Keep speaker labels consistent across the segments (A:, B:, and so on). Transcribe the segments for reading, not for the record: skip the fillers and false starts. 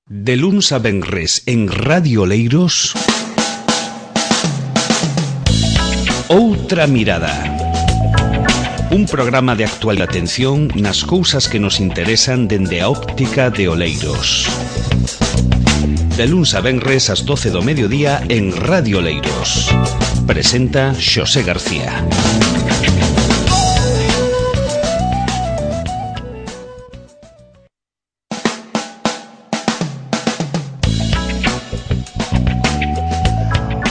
A: De luns a venres en Radio Oleiros, Outra Mirada. Un programa de actual atención nas cousas que nos interesan dende a óptica de Oleiros. De luns a venres ás 12 do mediodía en Radio Oleiros. Presenta Xosé García.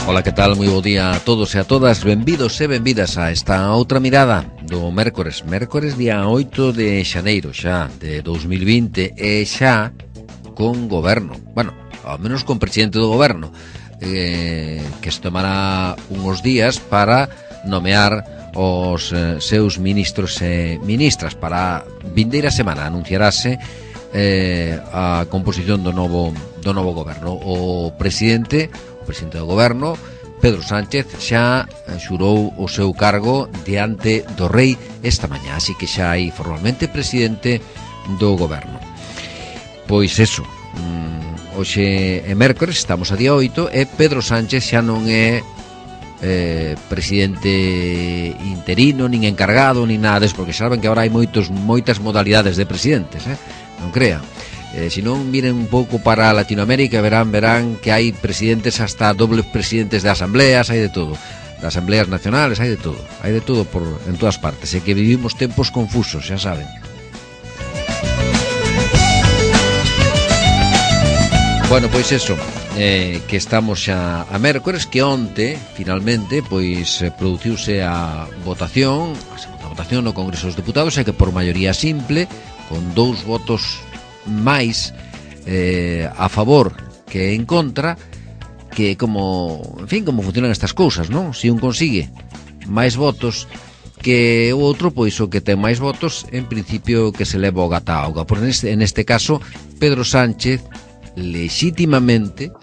B: Ola, que tal? Moi bo día a todos e a todas. Benvidos e benvidas a esta outra mirada do mércores día 8 de xaneiro xa de 2020 e xa con goberno, bueno, ao menos con presidente do goberno, que se tomará uns días para nomear os seus ministros e ministras. Para a vindeira semana anunciarase a composición do novo goberno. O presidente do goberno, Pedro Sánchez, xa xurou o seu cargo diante do rei esta mañá, así que xa hai formalmente presidente do goberno. Pois eso, hoxe é mércores, estamos a día 8 e Pedro Sánchez xa non é presidente interino, nin encargado, nin nada deso, porque saben que agora hai moitas modalidades de presidentes, non crean. Se non miren un pouco para Latinoamérica, verán que hai presidentes, hasta dobles presidentes de asambleas, hai de todo, de asambleas nacionales, hai de todo en todas partes, e que vivimos tempos confusos, xa saben. Bueno, pois eso, que estamos xa a mércores, que onte, finalmente, pois produciuse a votación no Congreso dos Deputados, e que por maioría simple, con 2 votos máis a favor que en contra, que como funcionan estas cousas, non? Se un consigue máis votos que o outro, pois o que ten máis votos, en principio que se leva o gata a auga. Por en este caso, Pedro Sánchez, lexítimamente,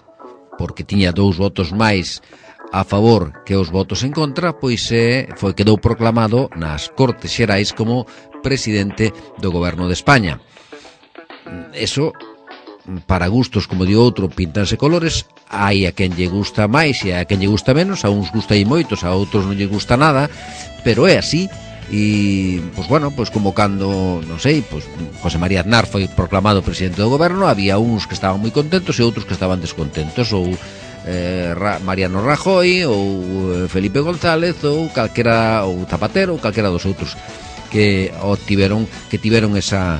B: porque tiña 2 votos máis a favor que os votos en contra, pois quedou proclamado nas Cortes Xerais como presidente do goberno de España. Eso, para gustos, como di outro, pintanse colores. Hai a quen lle gusta máis e a quen lle gusta menos. A uns gusta aí moitos, a outros non lle gusta nada, pero é así. E, pois bueno, pois como cando, non sei, pois José María Aznar foi proclamado presidente do goberno, había uns que estaban moi contentos e outros que estaban descontentos, ou Mariano Rajoy, ou Felipe González, ou calquera, ou Zapatero, ou calquera dos outros que tiveron esa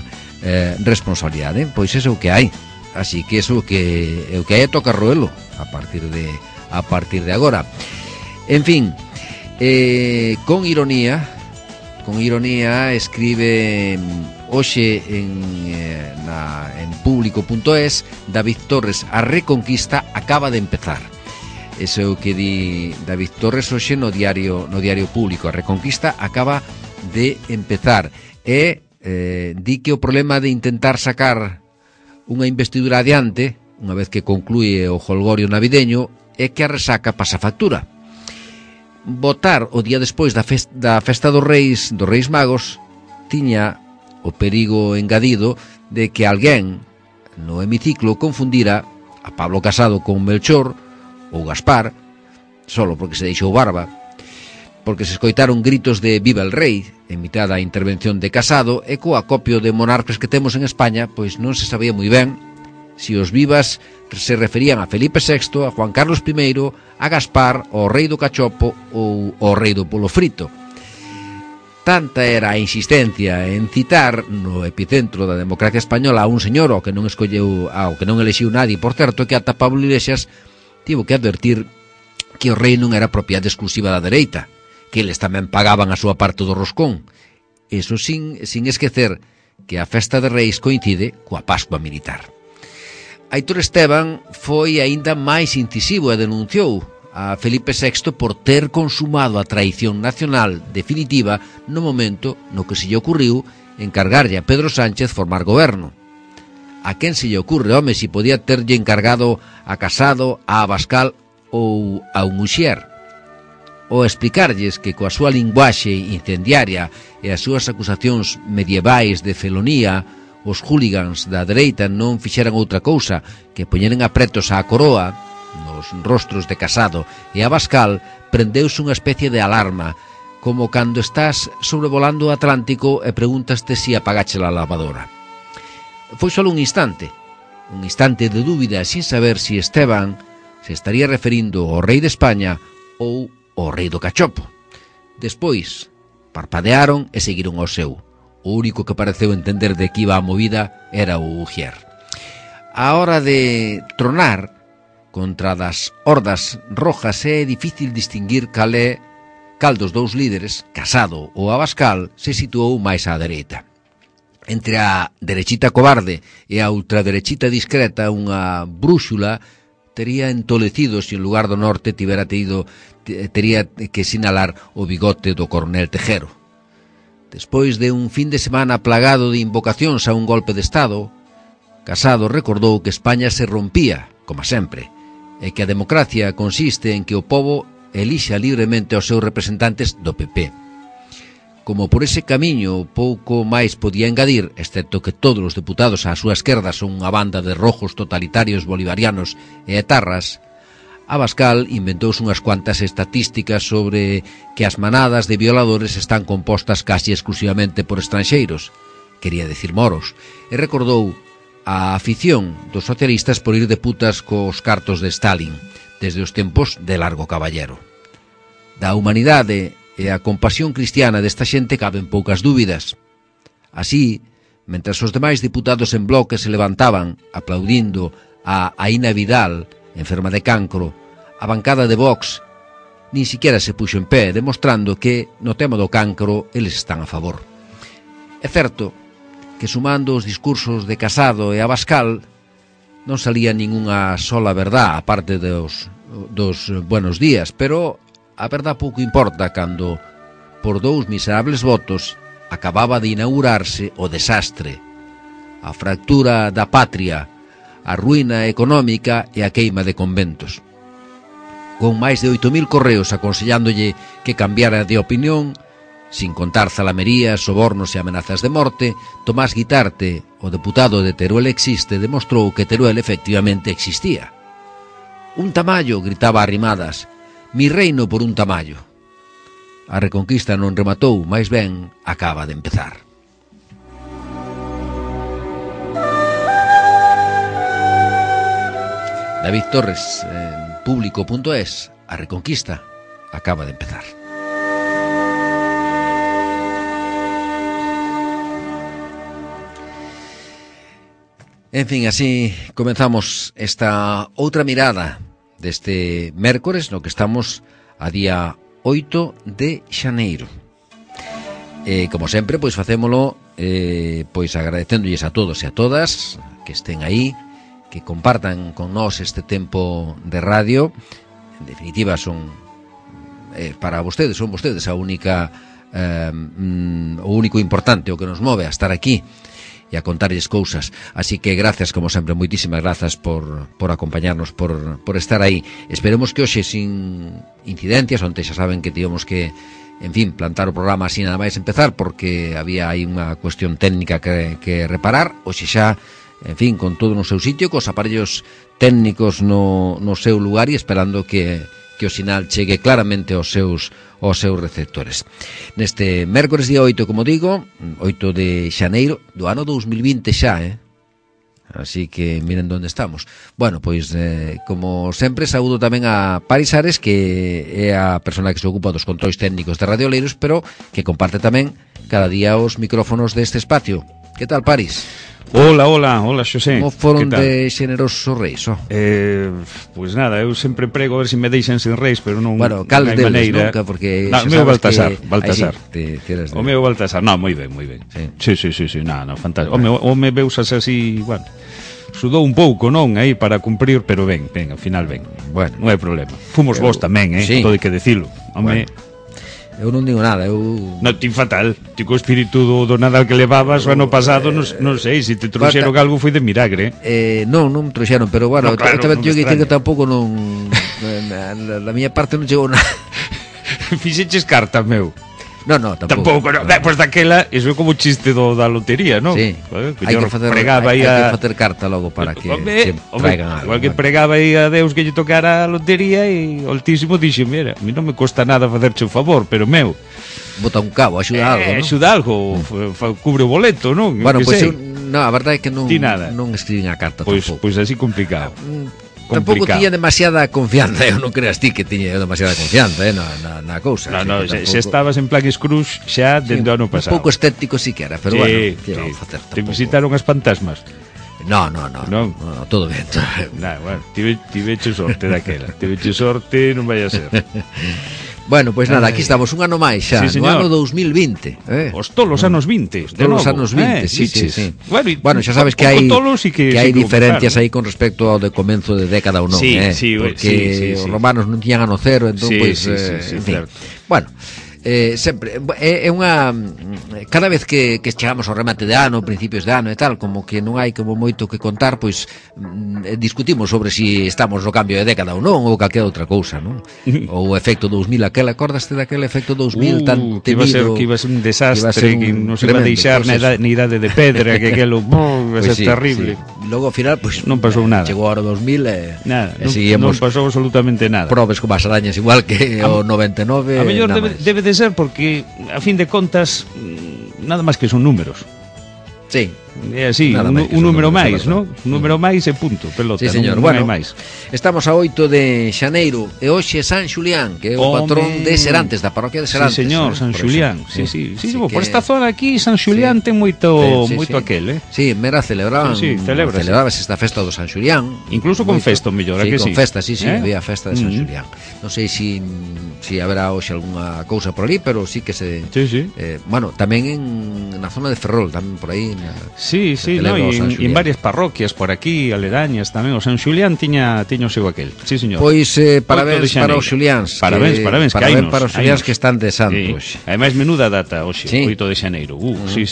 B: responsabilidade. Pois eso é o que hai, así que eso é o que hai, toca roelo a partir de agora. En fin, con ironía escribe hoxe en público.es David Torres: a reconquista acaba de empezar. Eso é o que di David Torres hoxe no diario Público. A reconquista acaba de empezar e di que o problema de intentar sacar unha investidura adiante, unha vez que conclúe o jolgorio navideño, é que a resaca pasa factura. Votar o día despois da festa dos Reis Magos tiña o perigo engadido de que alguén no hemiciclo confundira a Pablo Casado con Melchor ou Gaspar, solo porque se deixou barba, porque se escoitaron gritos de "Viva el Rei" en mitad da intervención de Casado, e co acopio de monarcas que temos en España, pois non se sabía moi ben se os vivas se referían a Felipe VI, a Juan Carlos I, a Gaspar, ao rei do cachopo ou ao rei do polo frito. Tanta era a insistencia en citar no epicentro da democracia española a un señor ao que non elixiu nadie, por certo, que ata Pablo Iglesias tivo que advertir que o rei non era propiedade exclusiva da dereita, que eles tamén pagaban a súa parte do roscón. Eso sin esquecer que a festa de Reis coincide coa Pascua militar. Aitor Esteban foi aínda máis incisivo e denunciou a Felipe VI por ter consumado a traición nacional definitiva no momento no que se lle ocurriu encargarlle a Pedro Sánchez formar goberno. A quen se lle ocurre, home, se podía terlle encargado a Casado, a Abascal ou a un Uxier? Ou explicarlles que coa súa linguaxe incendiaria e as súas acusacións medievais de felonía os hooligans da dereita non fixeran outra cousa que poñeren apretos á coroa nos rostros de Casado e Abascal, prendeuse unha especie de alarma, como cando estás sobrevolando o Atlántico e pregúntaste si apagache a lavadora. Foi só un instante de dúbida, sin saber si Esteban se estaría referindo ao rei de España ou ao rei do cachopo. Despois, parpadearon e seguiron ao seu. O único que pareceu entender de que iba a movida era o Ujier. A hora de tronar contra das hordas rojas é difícil distinguir cal dos dous líderes, Casado ou Abascal, se situou máis á dereita. Entre a derechita cobarde e a ultraderechita discreta, unha brúxula tería entolecido se en lugar do norte tería que sinalar o bigote do coronel Tejero. Despois de un fin de semana plagado de invocacións a un golpe de Estado, Casado recordou que España se rompía, como sempre, e que a democracia consiste en que o pobo elixa libremente os seus representantes do PP. Como por ese camiño pouco máis podía engadir, excepto que todos os deputados á súa esquerda son unha banda de rojos totalitarios bolivarianos e etarras, Abascal inventouse unhas cuantas estatísticas sobre que as manadas de violadores están compostas casi exclusivamente por estranxeiros, quería decir moros, e recordou a afición dos socialistas por ir de putas cos cartos de Stalin, desde os tempos de Largo Caballero. Da humanidade e a compasión cristiana desta xente caben poucas dúbidas. Así, mentras os demais diputados en bloque se levantaban aplaudindo a Aina Vidal, enferma de cancro, a bancada de Vox nin siquiera se puxo en pé, demostrando que no tema do cancro eles están a favor. É certo que sumando os discursos de Casado e Abascal non salía ningunha sola verdad, aparte dos buenos días, pero a verdad pouco importa cando por 2 miserables votos acababa de inaugurarse o desastre, a fractura da patria, a ruína económica e a queima de conventos. Con máis de 8.000 correos aconsellándolle que cambiara de opinión, sin contar zalamerías, sobornos e amenazas de morte, Tomás Guitarte, o deputado de Teruel existe, demostrou que Teruel efectivamente existía. Un tamallo, gritaba a rimadas, mi reino por un tamallo. A reconquista non rematou, máis ben acaba de empezar. David Torres, en Público.es, a reconquista acaba de empezar. En fin, así comenzamos esta outra mirada deste mércores no que estamos a día 8 de xaneiro. Como sempre, pois facémolo pois agradecéndolles a todos e a todas que estén aí, que compartan con nós este tempo de radio. En definitiva, son para vostedes, son vostedes a única o único importante, o que nos move a estar aquí e a contarlles cousas. Así que gracias, como sempre, moitísimas grazas por acompañarnos, por estar aí. Esperemos que hoxe sin incidencias, onde xa saben que tivemos que, en fin, plantar o programa así nada máis empezar, porque había aí unha cuestión técnica que reparar. Hoxe xa, en fin, con todo no seu sitio, cos aparellos técnicos no seu lugar e esperando que o sinal chegue claramente aos seus receptores. Neste mércores día 8, como digo, 8 de xaneiro do ano 2020 xa, así que miren onde estamos. Bueno, pois, como sempre, saúdo tamén a Paris Ares, que é a persona que se ocupa dos controis técnicos de Radio Oleiros, pero que comparte tamén cada día os micrófonos deste espacio. Que tal, Paris?
C: Hola, Xosé.
B: Como foron de xenerosos reis?
C: Pois nada, eu sempre prego a ver se me deixan sin reis, pero non,
B: bueno, cal
C: non hai
B: deles,
C: maneira.
B: Nunca, porque
C: o meu Baltasar.
B: Sí,
C: o meu Baltasar, moi ben. Sí, fantástico. O me veusas así, bueno, sudou un pouco, non, aí para cumprir, pero ben, ao final ben.
B: Bueno,
C: non hai problema. Fomos vos tamén,
B: sí.
C: Todo hai que dicilo. Home,
B: bueno. Eu non digo nada,
C: non, ti fatal. Ti co espírito do Nadal que levabas o ano pasado, non sei, se te trouxeron algo foi de milagre.
B: Non me trouxeron, pero bueno,
C: claro,
B: tamén teño que dicir que tampouco non... La miña parte non chegou nada.
C: Fixeches cartas, meu.
B: No, tampouco.
C: No. Pois daquela, eso é como o chiste da lotería, non?
B: Sí. Hai que facer carta logo para que se traigan algo.
C: Igual que pregaba aí a Deus que lle tocara a lotería e o Altísimo dixe, mira, a mí non me costa nada facerche un favor, pero meu,
B: bota un cabo, axuda algo, non?
C: Axuda algo, cubre o boleto, non?
B: Bueno, pois a verdade é que non escribín a carta tampouco.
C: Pois así complicado.
B: Tampouco tiña demasiada confianza, eu non creas ti que tiña demasiada confianza na cousa.
C: No, se estabas en Plague Scrooge xa dende o ano pasado.
B: Un pouco escéptico siquera, pero bueno, que vamos a facer?
C: Te visitaron as fantasmas?
B: No, todo ben.
C: Bueno, tiveche sorte daquela. Tiveche sorte, non vai a ser.
B: Bueno, pois nada, aquí estamos un ano máis xa, no ano 2020.
C: Os tolos anos 20, de novo.
B: Os anos 20, sí. Bueno, xa sabes que hai diferencias aí con respecto ao de comenzo de década ou non, porque os romanos non tiñan ano cero, entón, pois, en fin. Bueno, sempre é unha cada vez que chegamos ao remate de ano, principios de ano e tal, como que non hai como moito que contar, pois discutimos sobre si estamos no cambio de década ou non, ou calquera outra cousa, non? Ou o efecto 2000, acordaste daquele efecto 2000 tan temido,
C: que iba a ser un desastre, que non se iba a deixar na idade de pedra, que aquelo iba a ser terrible.
B: Logo ao final, pois
C: non pasou nada.
B: Chegou a hora 2000 e
C: nada, non pasou absolutamente nada.
B: Probes como as arañas, igual que o 99.
C: A mellor debe de ser porque a fin de contas nada máis que son números.
B: Sí.
C: É así, un número máis, non? Un número máis e punto, pelota.
B: Sí, señor.
C: Bueno, máis.
B: Estamos a 8 de xaneiro e hoxe San Xulián, que é o patrón de Serantes, da parroquia de Serantes.
C: Sí, señor, San Xulián. Sí, por esta zona aquí San Xulián ten moito aquel,
B: Sí, mera celebraban. Celebrabas esta festa do San Xulián.
C: Incluso con festa, mellor, a que sí.
B: Con festa, sí, había festa de San Xulián. Non sei se haberá hoxe algunha cousa por ali, pero sí que se...
C: Sí.
B: Bueno, tamén na zona de Ferrol, tamén por aí.
C: Sí, en varias parroquias por aquí, aledañas tamén. O San Xulián tiña o seu aquel. Sí, señor.
B: Pois parabéns para os Xuliáns.
C: Parabéns
B: para os Xuliáns que están de santos.
C: Ademais, menuda data hoxe, 8 de xaneiro. Sí.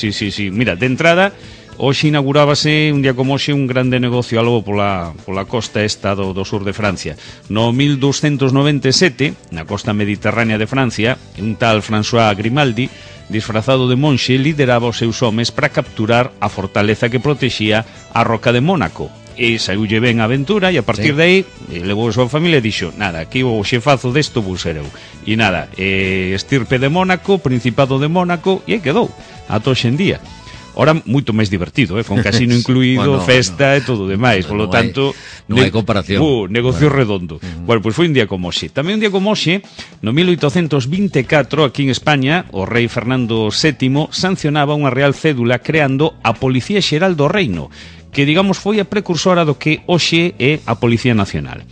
C: Mira, de entrada, hoxe inaugurábase un día como hoxe un grande negocio algo pola costa esta do sur de Francia. No 1297, na costa mediterránea de Francia, un tal François Grimaldi, disfrazado de monxe, lideraba os seus homes para capturar a fortaleza que protexía a Roca de Mónaco. E saíulle ben a aventura e a partir de aí levou a súa familia e dixo, nada, aquí o xefazo desto vou ser eu. E nada, estirpe de Mónaco, Principado de Mónaco, e aí quedou, ata hoxe en día. Ora moito máis divertido, con casino incluído, festa e todo o demais, polo tanto
B: non hai comparación.
C: Negocio redondo. Bueno, pois foi un día como hoxe. Tamén un día como hoxe, no 1824, aquí en España, o rei Fernando VII sancionaba unha real cédula creando a Policía Xeral do Reino, que digamos foi a precursora do que hoxe é a Policía Nacional.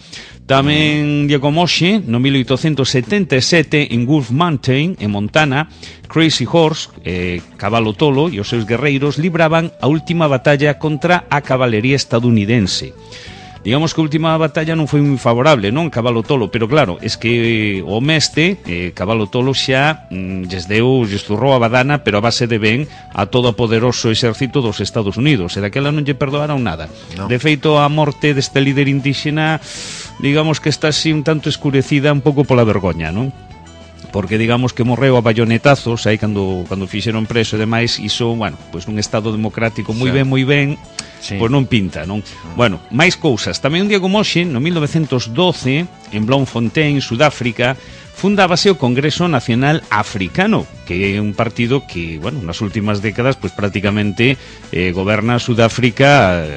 C: Tamén día como hoxe, no 1877, en Wolf Mountain, en Montana, Crazy Horse, Cabalo Tolo e os seus guerreiros libraban a última batalla contra a cabalería estadounidense. Digamos que a última batalla non foi moi favorable, non? Cabalo Tolo, pero claro, es que o mestre, Cabalo Tolo xa lles zurrou a badana, pero a base de ben a todo o poderoso exército dos Estados Unidos, e daquela non lle perdoaron nada. De feito, a morte deste líder indígena, digamos que está así un tanto escurecida un pouco pola vergoña, non? Porque digamos que morreu a bayonetazos aí cando fixeron preso e demais, iso, bueno, pois nun estado democrático moi ben, pois non pinta, non? Bueno, máis cousas. Tamén un día como hoxe, no 1912, en Bloemfontein, Sudáfrica, fundábase o Congreso Nacional Africano, que é un partido que, bueno, nas últimas décadas, pois prácticamente goberna Sudáfrica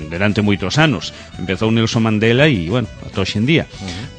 C: durante moitos anos. Empezou Nelson Mandela e, bueno, ata hoxe en día.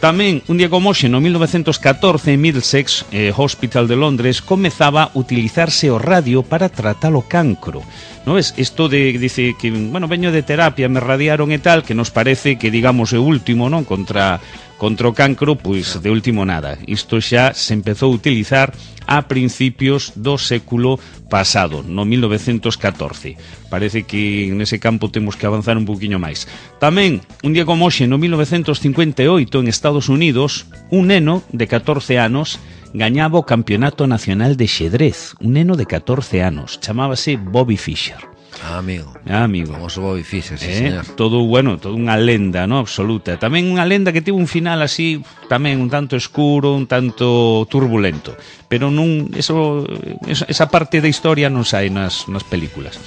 C: Tamén, un día como hoxe, no 1914, en Middlesex Hospital de Londres, comezaba a utilizarse o radio para tratar o cancro. Non ves? Isto dice que, bueno, veño de terapia, me radiaron e tal, que nos parece que, digamos, é o último, non? Contra o cancro, pois, de último nada. Isto xa se empezou a utilizar a principios do século pasado, no 1914. Parece que nese campo temos que avanzar un poquinho máis. Tamén, un día como hoxe, no 1958, en Estados Unidos, un neno de 14 anos gañaba o Campeonato Nacional de Xedrez. Un neno de 14 anos, chamábase Bobby Fischer.
B: Amigo.
C: Famoso
B: Bobby Fischer, sí, señor.
C: Todo, bueno, toda unha lenda, ¿no? Absoluta. Tamén unha lenda que tivo un final así, tamén un tanto escuro, un tanto turbulento. Pero non, esa parte da historia non sai nas películas.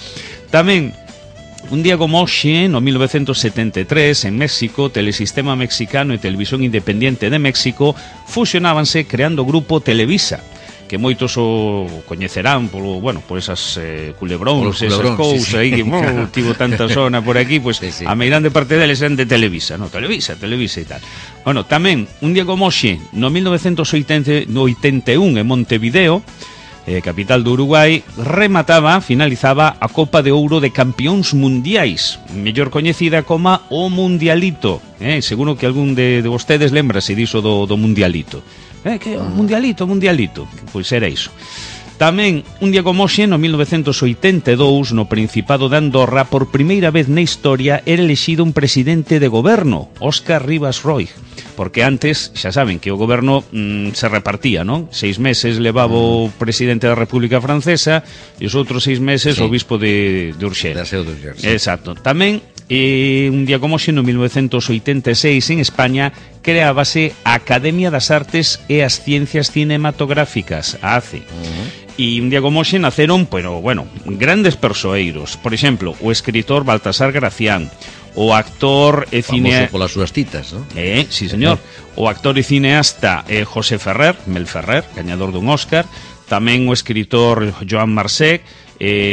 C: Tamén, un día como hoxe, no 1973, en México, Telesistema Mexicano e Televisión Independiente de México fusionábanse creando o grupo Televisa, que moitos o coñecerán por esas culebróns, esas cousas aí que tivo tanta zona por aquí, pois sí. A meirande parte deles eran de Televisa, no, Televisa e tal. Bueno, tamén, un día como hoxe, no 1981 en Montevideo, capital do Uruguai, finalizaba a Copa de Ouro de Campións Mundiais, mellor coñecida como o Mundialito. Seguro que algún de vostedes lembrase diso do Mundialito. Que Mundialito, pois era iso. Tamén, un día como hoxe, no 1982, no Principado de Andorra, por primeira vez na historia, era elexido un presidente de goberno, Óscar Rivas Roig, porque antes, xa saben, que o goberno se repartía, non? 6 meses levaba o presidente da República Francesa e os outros 6 meses o obispo de Urgell. Exacto. Tamén, un día como hoxe, no 1986, en España, creábase a Academia das Artes e as Ciencias Cinematográficas, a ACE. E un día como hoxe naceron, grandes persoeiros. Por exemplo, o escritor Baltasar Gracián, o actor e cineasta...
B: Famoso polas súas citas, non?
C: Sí, señor. O actor e cineasta José Ferrer, Mel Ferrer, gañador dun Óscar. Tamén o escritor Joan Marcet,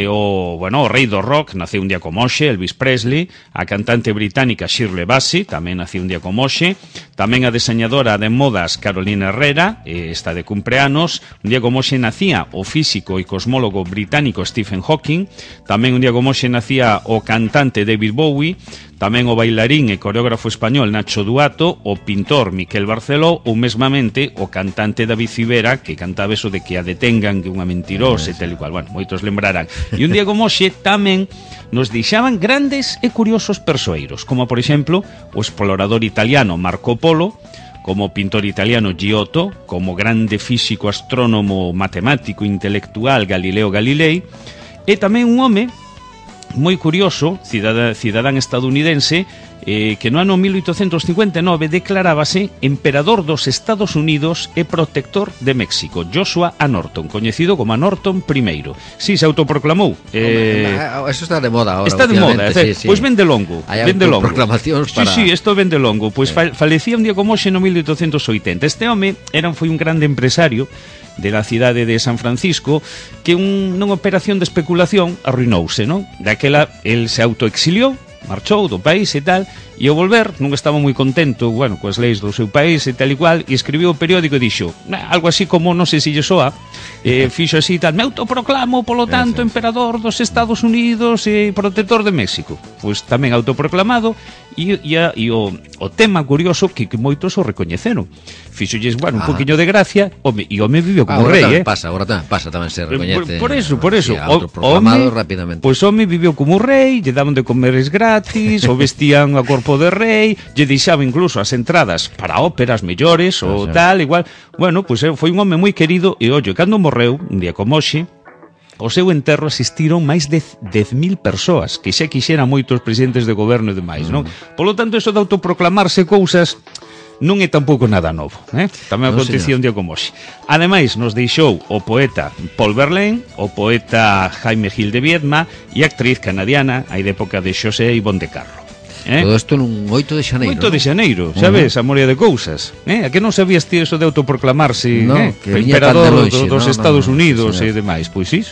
C: o rei do rock, naceu un día como hoxe, Elvis Presley. A cantante británica Shirley Bassey tamén naceu un día como hoxe. Tamén a deseñadora de modas Carolina Herrera, está de cumpleanos. Un día como hoxe nacía o físico e cosmólogo británico Stephen Hawking. Tamén un día como hoxe nacía o cantante David Bowie. Tamén o bailarín e coreógrafo español Nacho Duato, o pintor Miquel Barceló ou mesmamente o cantante David Civera, que cantaba eso de que a detengan, que unha mentirosa e tal e cual. Bueno, moitos lembrarán. E un día como hoxe tamén nos deixaban grandes e curiosos persoeiros, como por exemplo o explorador italiano Marco Polo, como o pintor italiano Giotto, como grande físico, astrónomo, matemático, intelectual Galileo Galilei, e tamén un home moi curioso, cidadán estadounidense, que no ano 1859 declarábase emperador dos Estados Unidos e protector de México, Joshua A. Norton, coñecido como a Norton I. Sí, se autoproclamou.
B: Eso está de moda ahora.
C: Está de moda,
B: sí.
C: Pois ven de longo.
B: Hai autoproclamacións para...
C: Sí, isto ven de longo. Pois falecía un día como hoxe no 1880. Este home foi un grande empresario de la cidade de San Francisco, que nunha operación de especulación arruinouse, non? Daquela, el se autoexiliou, marchou do país e tal, e ao volver non estaba moi contento, coas leis do seu país e tal e cual, e escribiu o periódico e dixo, algo así como, non sei se lle soa, fixo así tal, me autoproclamo, polo tanto, emperador dos Estados Unidos e protector de México. Pois tamén autoproclamado, e o tema curioso que moitos o recoñeceron. Fixolles, un poquinho de gracia, e o home viviu como rei,
B: Pasa tamén se recoñece.
C: Por eso.
B: Autoproclamado rapidamente.
C: Pois o home viviu como rei, lle daban de comer gratis, o vestían a corpo de rei, lle deixaba incluso as entradas para óperas mellores ou tal, igual. Pois foi un home moi querido, e cando morreu, un día como hoxe, ao seu enterro asistiron máis de 10.000 persoas, que xa quixeran moitos presidentes de goberno e demais, non? Polo tanto, eso de autoproclamarse cousas non é tampouco nada novo, Tamén acontecía un día como hoxe. Ademais, nos deixou o poeta Paul Verlaine, o poeta Jaime Gil de Viedma e a actriz canadiana, aí de época de Xosé Ivonne de Carlo.
B: Todo isto nun 8 de xaneiro.
C: 8 de xaneiro, sabes, a moria de cousas. A que non sabías ti eso de autoproclamarse emperador dos Estados Unidos e demais? Pois sí.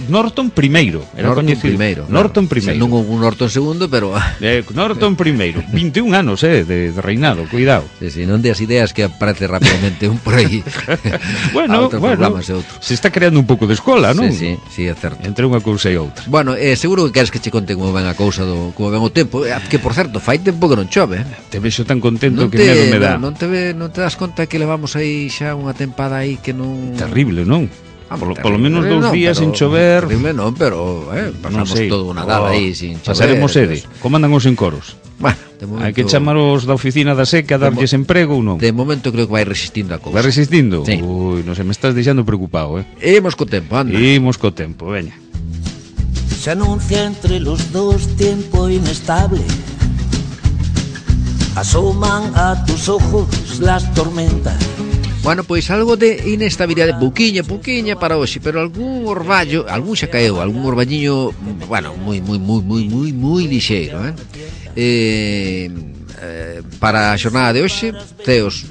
C: Norton I, era coñecido. Norton I.
B: Non un Norton II, pero...
C: Norton I, 21 anos de reinado, cuidado.
B: Sí, non de as ideas que aparece rapidamente un por aí.
C: Se está creando un pouco de escola, non?
B: Sí, é certo.
C: Entre unha cousa e outra.
B: Seguro que queres que che conte como ven a cousa como ven o tempo, que por certo, fai tempo que non chove.
C: Te vexo tan contento que medo me dá.
B: Non te das conta que levamos aí xa unha tempada aí que non...
C: Terrible, non? Polo menos 2 días sin chover.
B: Terrible non, pero pasamos todo o Nadal aí sin chover.
C: Pasaremos sede. Como andan os encoros? Hai que chamar os da oficina da seca, darlles emprego ou non?
B: De momento creo que vai resistindo a cousa.
C: Vai resistindo?
B: Sí.
C: Ui, non se me estás deixando preocupado,
B: Imos co tempo, anda.
C: Imos co tempo, veña.
D: se anuncia entre los dos tiempo inestable. Asoman a tus ojos las tormentas.
B: Bueno, pois algo de inestabilidade, pouquiña para hoxe, pero algún orballo, algún xa caeu, algún orballiño, bueno, moi lixeiro, para a xornada de hoxe, ceos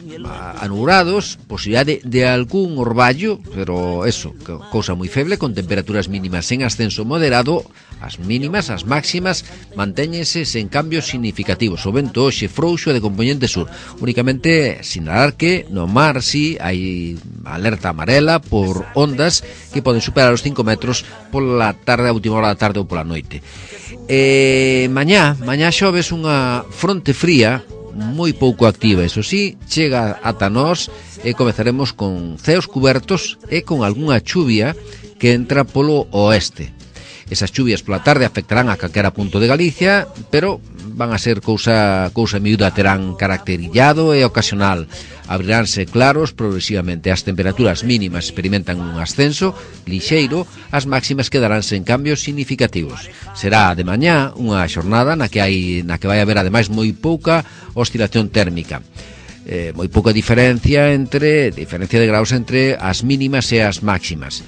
B: anubrados, posibilidade de algún orballo, pero eso, cousa moi feble, con temperaturas mínimas en ascenso moderado. As mínimas, as máximas, mantéñense sen cambios significativos. O vento hoxe frouxo de componente sur. Únicamente sinalar que no mar si hai alerta amarela por ondas que poden superar os 5 metros pola tarde, a última hora da tarde ou pola noite. Mañá xoves unha fronte fría moi pouco activa, eso sí, chega ata nós e comezaremos con ceos cubertos e con algunha chuvia que entra polo oeste. Esas chuvias pola tarde afectarán a calquera punto de Galicia, pero van a ser cousa miúda, terán carácter illado e ocasional. Abriránse claros progresivamente. As temperaturas mínimas experimentan un ascenso lixeiro, as máximas quedaránse en cambios significativos. Será de mañá unha xornada na que vai haber ademais moi pouca oscilación térmica. Moi pouca diferencia de graus entre as mínimas e as máximas.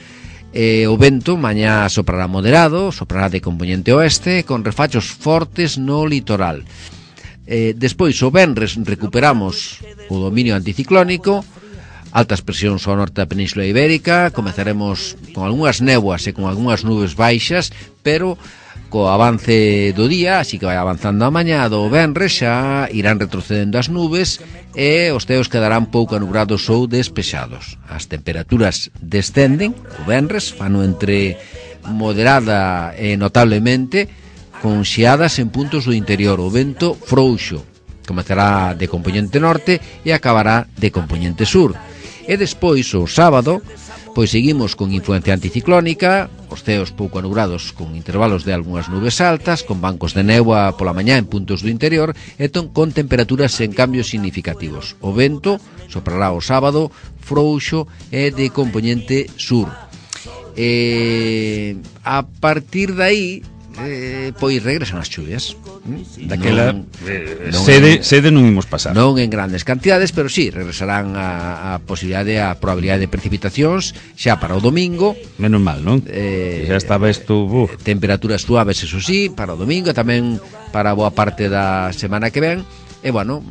B: O vento mañá soprará moderado, soprará de componente oeste, con refachos fortes no litoral. Despois, o venres, recuperamos o dominio anticiclónico, altas presións ao norte da Península Ibérica, comezaremos con algunhas néboas e con algunhas nubes baixas, pero co avance do día, así que vai avanzando a mañá do venres, xa irán retrocedendo as nubes e os ceos quedarán pouco anubrados ou despexados. As temperaturas descenden, o venres, fano entre moderada e notablemente, con xiadas en puntos do interior. O vento frouxo comezará de componente norte e acabará de componente sur. E despois, o sábado, pois seguimos con influencia anticiclónica, os ceos pouco anubrados con intervalos de algunhas nubes altas, con bancos de néboa pola mañá en puntos do interior e con temperaturas en cambios significativos. O vento soprará o sábado frouxo e de componente sur. A partir de aí, pois regresan as chuvias.
C: Daquela sede non imos pasar.
B: Non en grandes cantidades, pero sí, regresarán a posibilidade, a probabilidade de precipitacións xa para o domingo.
C: Menos mal, non? Xa estaba isto...
B: Temperaturas suaves, eso sí, para o domingo, tamén para boa parte da semana que ven. E, bueno,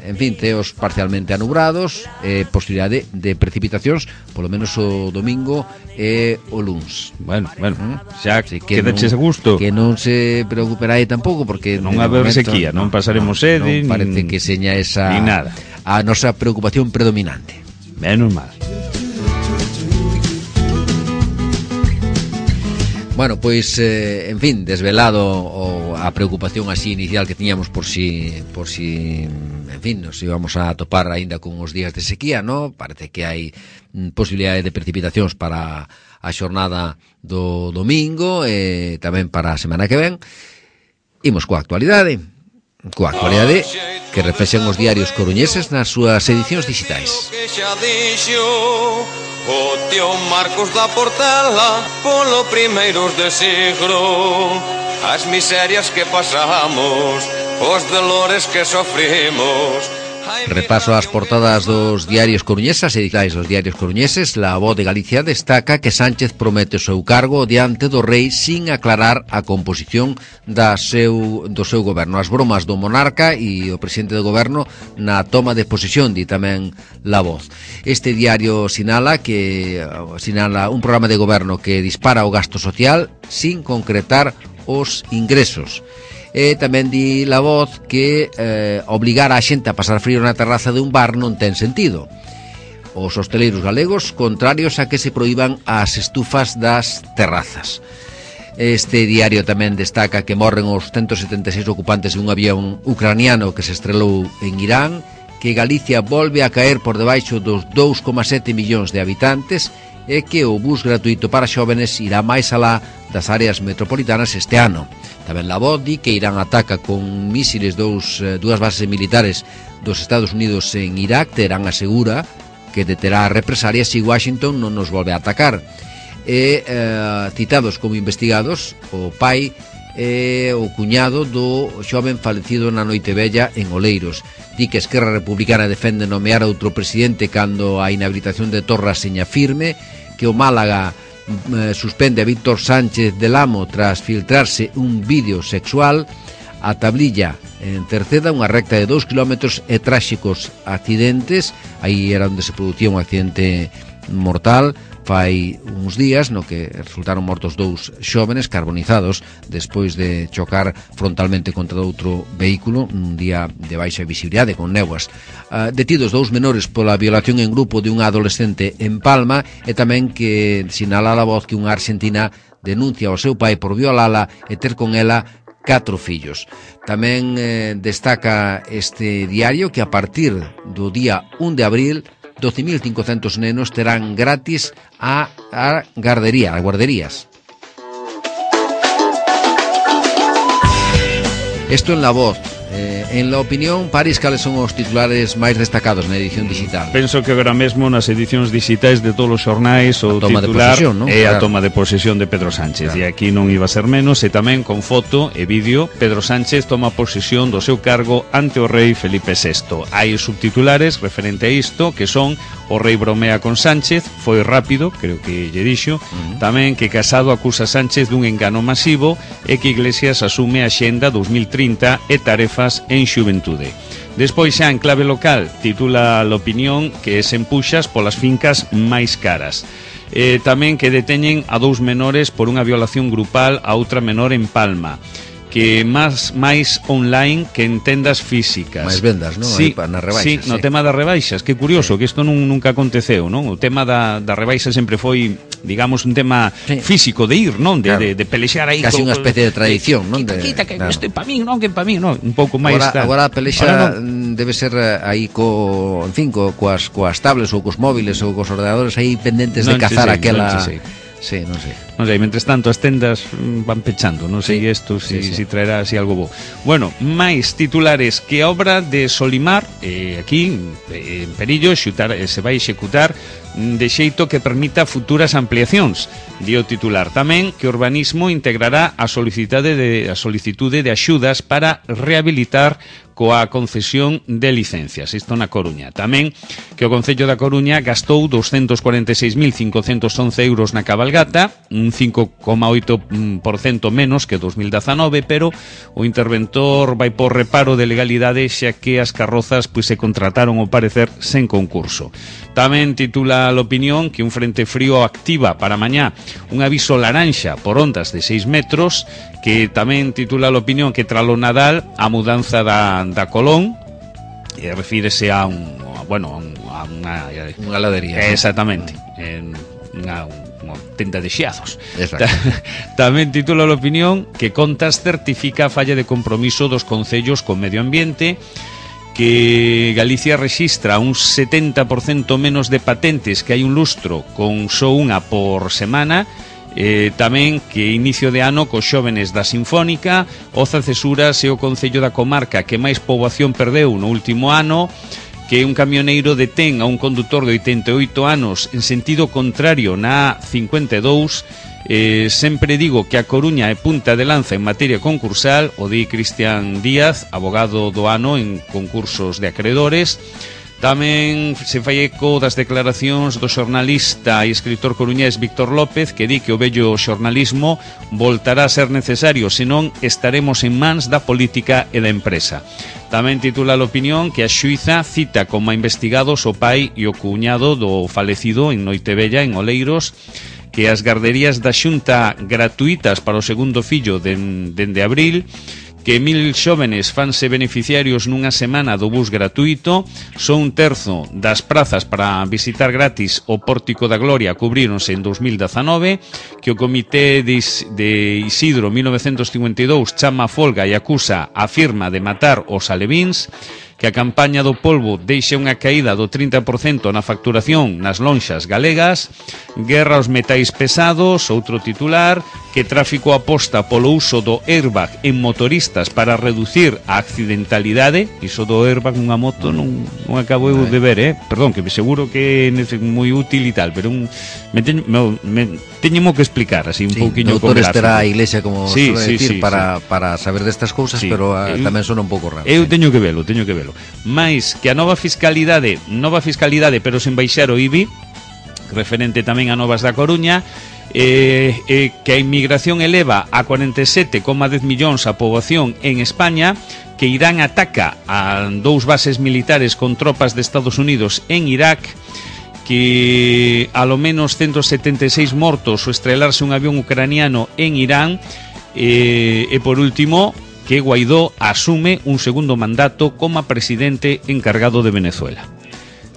B: en fin, ceos parcialmente anubrados, posibilidade de precipitacións, polo menos o domingo e o luns.
C: Bueno, xa quedaches a gusto.
B: Que non se preocuperá aí tampouco, porque
C: non haber sequía, non pasaremos sede,
B: non parece que seña esa
C: ni nada.
B: A nosa preocupación predominante.
C: Menos mal.
B: Bueno, pois, en fin, desvelado a preocupación así inicial que tiñamos por si, en fin, nos íbamos a topar aínda con os días de sequía, ¿no? Parece que hai posibilidade de precipitacións para a xornada do domingo e tamén para a semana que ven. Imos coa actualidade que reflexan os diarios coruñeses nas súas edicións digitais.
E: O tío Marcos da Portela polo primeiros de siglo, as miserias que pasamos, os dolores que sofrimos.
B: Repaso as portadas dos diarios coruñeses, editais dos diarios coruñeses. La Voz de Galicia destaca que Sánchez promete o seu cargo diante do rei sin aclarar a composición do seu goberno. As bromas do monarca e o presidente do goberno na toma de posesión, di tamén La Voz. Este diario sinala un programa de goberno que dispara o gasto social sin concretar os ingresos. E tamén di La Voz que obligar a xente a pasar frío na terraza de un bar non ten sentido. Os hosteleiros galegos contrarios a que se proíban as estufas das terrazas. Este diario tamén destaca que morren os 176 ocupantes de un avión ucraniano que se estrelou en Irán, que Galicia volve a caer por debaixo dos 2,7 millóns de habitantes e que o bus gratuito para xóvenes irá máis alá das áreas metropolitanas este ano. Tamén La Voz di que Irán ataca con mísiles dúas bases militares dos Estados Unidos en Irak. Teherán asegura que deterá represalias se Washington non nos volve a atacar. e citados como investigados o pai e o cuñado do xoven falecido na Noitevella en Oleiros. Di que Esquerra Republicana defende nomear outro presidente cando a inhabilitación de Torra seña firme, que o Málaga suspende a Víctor Sánchez del Amo tras filtrarse un vídeo sexual, a Tablilla en Cerceda, unha recta de 2 kilómetros e tráxicos accidentes. Aí era onde se producía un accidente mortal fai uns días, no que resultaron mortos 2 xóvenes carbonizados despois de chocar frontalmente contra outro vehículo un día de baixa visibilidade con néboas. Detidos 2 menores pola violación en grupo de unha adolescente en Palma, e tamén que sinala a Voz que unha argentina denuncia ao seu pai por violala e ter con ela 4 fillos. Tamén destaca este diario que a partir do día 1 de abril 12.500 nenos terán gratis a guarderías. Esto en La Voz. En La Opinión, París, cales son os titulares máis destacados na edición digital?
C: Penso que agora mesmo nas edicións digitais de todos os xornais o titular é a toma de posesión de Pedro Sánchez, e aquí non iba a ser menos, e tamén con foto e vídeo. Pedro Sánchez toma posesión do seu cargo ante o rei Felipe VI. Hai subtitulares referente a isto, que son: o rei bromea con Sánchez, foi rápido, creo que lle dixo. Tamén que Casado acusa Sánchez dun engano masivo, e que Iglesias asume a Xenda 2030 e tarefas en xuventude. Despois, xa en clave local, titula La Opinión que se empuxas polas fincas máis caras. Tamén que deteñen a 2 menores por unha violación grupal a outra menor en Palma, que máis online que en tendas físicas.
B: Máis vendas, non?
C: Sí,
B: nas rebaixas.
C: Sí, no tema das rebaixas. Que curioso, que isto nunca aconteceu, non? O tema da rebaixas sempre foi, digamos, un tema físico de ir, non? De pelexar aí.
B: Casi unha especie de tradición, non?
C: Quita, que isto é pa min, non? Que pa min, non? Un pouco máis...
B: Agora a pelexa debe ser aí coas tablets ou cos móviles ou cos ordenadores aí pendentes de cazar aquela... Sí, non sei.
C: Non sei, mentres tanto as tendas van pechando, non sei isto si traerá así algo bo. Bueno, máis titulares que a obra de Solimar, aquí en Perillo, se vai executar de xeito que permita futuras ampliacións. Dio titular tamén que Urbanismo integrará a solicitude de axudas para rehabilitar coa concesión de licencias. Isto na Coruña. Tamén que o Concello da Coruña gastou 246.511 euros na cabalgata, un 5,8% menos que 2019, pero o interventor vai por reparo de legalidade, xa que as carrozas se contrataron ao parecer sen concurso. Tamén titula La Opinión que un frente frío activa para mañá un aviso laranxa por ondas de 6 metros, que tamén titula La Opinión que tralo Nadal a mudanza da Colón, refírese a unha
B: ladería.
C: Exactamente, unha tenda de xiazos. Tamén titula La Opinión que Contas certifica a falla de compromiso dos concellos con medio ambiente, que Galicia rexistra un 70% menos de patentes que hai un lustro, con só unha por semana. Tamén que inicio de ano cos xóvenes da Sinfónica, Oza Cesuras é o concello da comarca que máis poboación perdeu no último ano, que un camioneiro detén a un condutor de 88 anos en sentido contrario na 52. Sempre digo que a Coruña é punta de lanza en materia concursal, o di Cristian Díaz, abogado do ano en concursos de acreedores. Tamén se fai eco das declaracións do xornalista e escritor coruñés Víctor López, que di que o vello xornalismo voltará a ser necesario, senón estaremos en mans da política e da empresa. Tamén titula La Opinión que a xuíza cita como investigados o pai e o cuñado do falecido en Noitevella, en Oleiros, que as garderías da Xunta gratuitas para o segundo fillo dende abril, que 1.000 xóvenes fanse beneficiarios nunha semana do bus gratuito, son un terzo das prazas para visitar gratis o Pórtico da Gloria cubríronse en 2019, que o Comité de Isidro 1952 chama a folga e acusa a firma de matar os alevíns, que a campaña do polvo deixa unha caída do 30% na facturación nas lonxas galegas, guerra aos metais pesados, outro titular, que tráfico aposta polo uso do airbag en motoristas para reducir a accidentalidade. Iso do airbag nunha moto non acabo de ver, perdón, que me seguro que é moi útil e tal, pero teñemo que explicar así un pouquiño con gráfico.
B: Terá a iglesia, como suele decir, para saber destas cousas, pero tamén son un pouco raro.
C: Eu teño que velo. Mais que a nova fiscalidade, pero sen baixar o IBI, referente tamén a Novas da Coruña, que a inmigración eleva a 47,10 millóns a poboación en España, que Irán ataca a 2 bases militares con tropas de Estados Unidos en Irak, que a lo menos 176 mortos ao estrelarse un avión ucraniano en Irán, e por último, que Guaidó asume un segundo mandato como presidente encargado de Venezuela.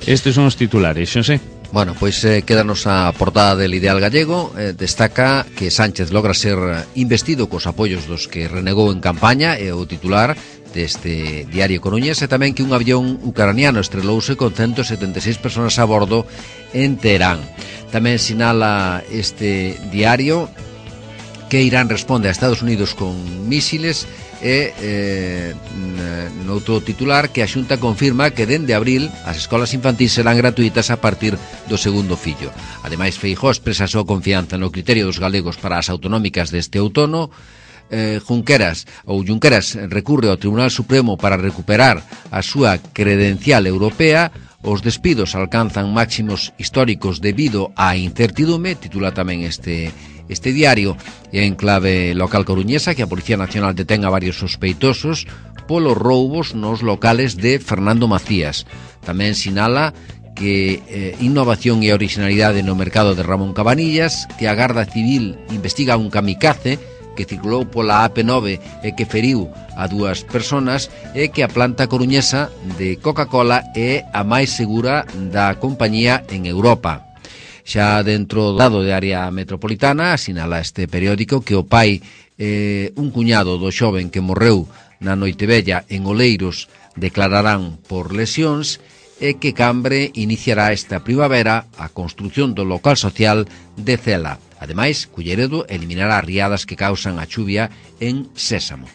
C: Estes son os titulares, Xosé.
B: Bueno, pois quédanos a portada del Ideal Gallego. Destaca que Sánchez logra ser investido cos apoios dos que renegou en campaña, é o titular deste diario coruñés, e tamén que un avión ucraniano estrelouse con 176 personas a bordo en Teherán. Tamén sinala este diario que Irán responde a Estados Unidos con mísiles, e noutro titular que a Xunta confirma que dende abril as escolas infantís serán gratuitas a partir do segundo fillo. Ademais, Feijóo expresa a súa confianza no criterio dos galegos para as autonómicas deste outono. Junqueras recurre ao Tribunal Supremo para recuperar a súa credencial europea. Os despidos alcanzan máximos históricos debido á incertidume, titula tamén este diario. E en clave local coruñesa, que a Policía Nacional detén a varios sospeitosos polos roubos nos locales de Fernando Macías. Tamén sinala que innovación e originalidade no mercado de Ramón Cabanillas, que a Garda Civil investiga un kamikaze que circulou pola AP9 e que feriu a 2 personas, e que a planta coruñesa de Coca-Cola é a máis segura da compañía en Europa. Xa dentro do lado de área metropolitana, sinala este periódico que o pai un cuñado do xoven que morreu na Noitevella en Oleiros declararán por lesións, e que Cambre iniciará esta primavera a construción do local social de Cela. Ademais, Culleredo eliminará riadas que causan a chuvia en Sésamo.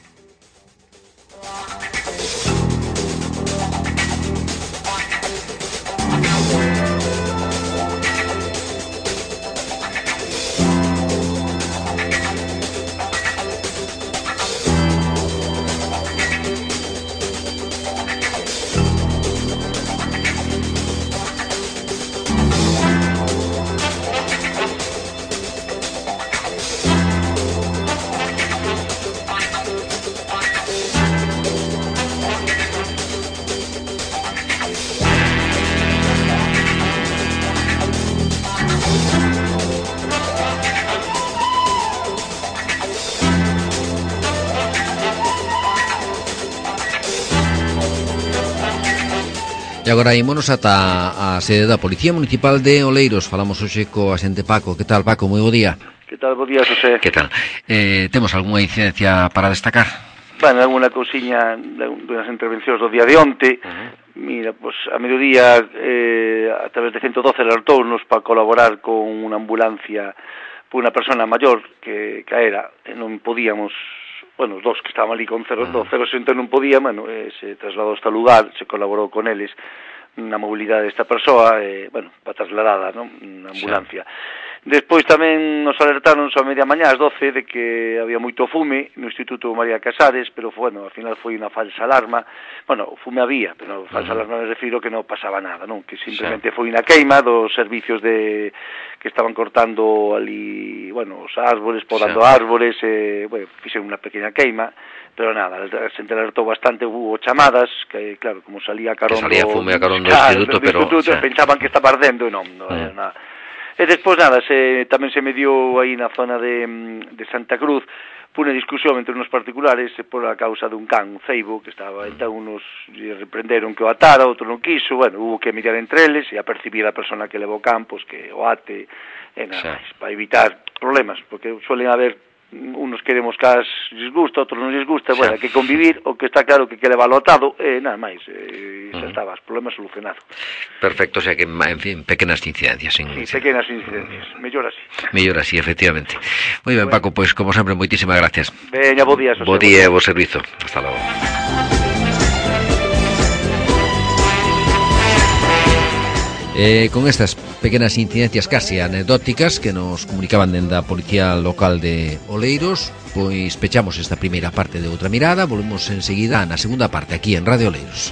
B: E agora ímonos ata a sede da Policía Municipal de Oleiros. Falamos hoxe co axente Paco. Que tal, Paco? Moi bo día.
F: Que tal? Bo día, José.
B: Que tal? Temos algunha incidencia para destacar?
F: Bueno, alguna cousiña das intervencións do día de onte. Mira, pues a mediodía a través de 112 alertounos para colaborar con unha ambulancia por unha persona maior que caera e non podíamos. Bueno, os dos que estaban ali con 060 non podían, bueno, se trasladou hasta o lugar, se colaborou con eles na mobilidade desta persoa, bueno, para trasladada, non? Na ambulancia. Despois tamén nos alertaron a media mañá, ás 12, de que había moito fume no Instituto María Casares, pero, bueno, ao final foi unha falsa alarma. Bueno, o fume había, pero falsa alarma me refiro que non pasaba nada, non? Que simplemente foi unha queima dos servicios que estaban cortando ali, bueno, os árboles, podando árboles, bueno, fixen unha pequena queima, pero nada, a xente alertou bastante, hubo chamadas, que, claro, como salía carón
B: do fume a carón do instituto, pero
F: pensaban que estaba ardendo e non era nada. E despois nada, tamén se mediou aí na zona de Santa Cruz unha discusión entre unos particulares por a causa dun can, un ceibo, que estaba, entón unos reprenderon que o atara, outro non quiso, bueno, hubo que mediar entre eles e a percibir a persona que levou can, pois que o ate, e nada máis, para evitar problemas, porque suelen haber unos queremos que les gusta, outros non les gusta, bueno, hai que convivir, o que está claro que leva lotado, nada máis, xa estaba, o problema solucionado.
B: Perfecto, o sea que, en fin, pequenas incidencias.
F: Sí, pequenas incidencias, mellor así.
B: Mellor así, efectivamente. Moi ben, Paco, pois, como sempre, moitísimas gracias.
F: Veña, bo día.
B: Bo día e bo servizo. Hasta logo. Con estas pequenas incidencias casi anecdóticas que nos comunicaban dende a Policía Local de Oleiros, pois pechamos esta primeira parte de Outra Mirada. Volvemos enseguida na segunda parte aquí en Radio Oleiros.